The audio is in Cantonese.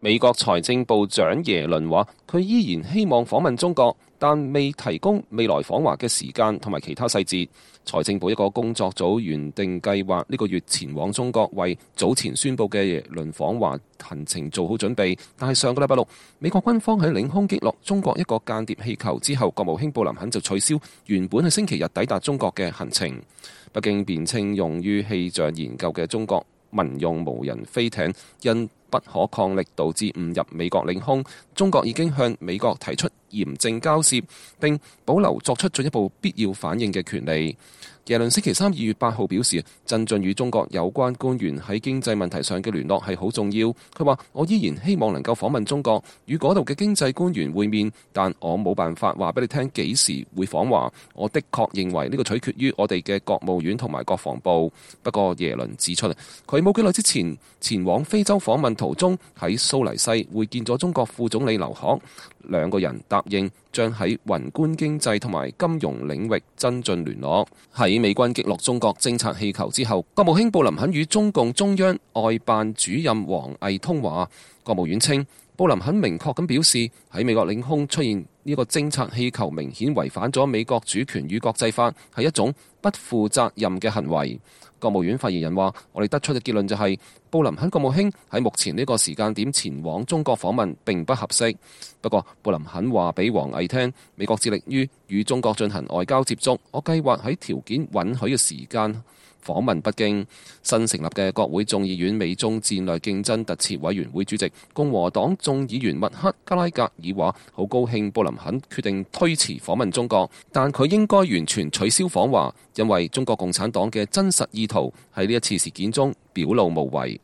美國財政部長耶倫話，佢依然希望訪問中國，但未提供未來訪華嘅時間同埋其他細節。財政部一個工作組原定計劃呢個月前往中國，為早前宣布嘅耶倫訪華行程做好準備。但係上個禮拜六，美國軍方喺領空擊落中國一個間諜氣球之後，國務卿布林肯就取消原本喺星期日抵達中國嘅行程。北京辯稱用於氣象研究嘅中國民用無人飛艇因不可抗力導致誤入美國領空，中國已經向美國提出嚴正交涉，並保留作出進一步必要反應嘅權利。耶倫星期三2月8號表示，增進與中國有關官員喺經濟問題上嘅聯絡係好重要。佢話：我依然希望能夠訪問中國，與嗰度嘅經濟官員會面，但我冇辦法話俾你聽幾時會訪華。我的確認為呢個取決於我哋嘅國務院同埋國防部。不過耶倫指出，佢冇幾耐之前前往非洲訪問途中喺蘇黎世會見咗中國副總理劉鶴，兩個人答應將喺宏觀經濟同埋金融領域增進聯絡。喺美軍擊落中國偵察氣球之後，國務卿布林肯與中共中央外辦主任王毅通話。國務院稱，布林肯明確咁表示，喺美國領空出現呢個偵察氣球明顯違反咗美國主權與國際法，係一種不負責任嘅行為。國務院發言人話：我哋得出嘅結論就係，布林肯國務卿喺目前呢個時間點前往中國訪問並不合適。不過，布林肯話俾王毅聽，美國致力於與中國進行外交接觸，我計劃喺條件允許嘅時間訪問北京。新成立嘅國會眾議院美中戰略競爭特設委員會主席共和黨眾議員麥克加拉格爾話：好高興布林肯決定推遲訪問中國，但佢應該完全取消訪華，因為中國共產黨嘅真實意圖喺呢一次事件中表露無遺。